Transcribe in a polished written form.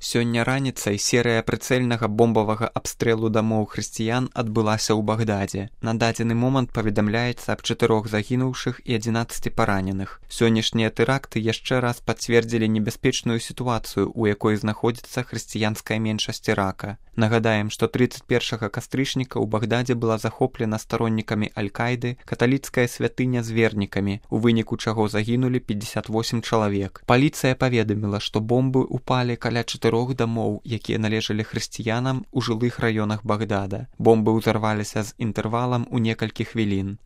Сёння раніцай серыя прыцэльнага бомбавага абстрэлу дамоў хрысціян адбылася ў Багдадзе. На дадзены момант паведамляецца аб 4 загінуўшых і 11 параненых. Сённяшнія тэракты яшчэ раз пацвердзілі небяспечную сітуацыю, у якой знаходзіцца хрысціянская меншасць Ірака. Нагадаем, што 31 кастрычніка ў Багдадзе была захоплена староннікамі Аль-Кайды каталіцкая святыня з вернікамі, у выніку чаго загінулі 58 чалавек. Паліцыя паведаміла, што бомбы упалі каля 4 дамоў, якія належалі хрысціянам у жылых раёнах Багдада. Бомбы ўзарваліся з інтэрвалам у некалькі хвілін.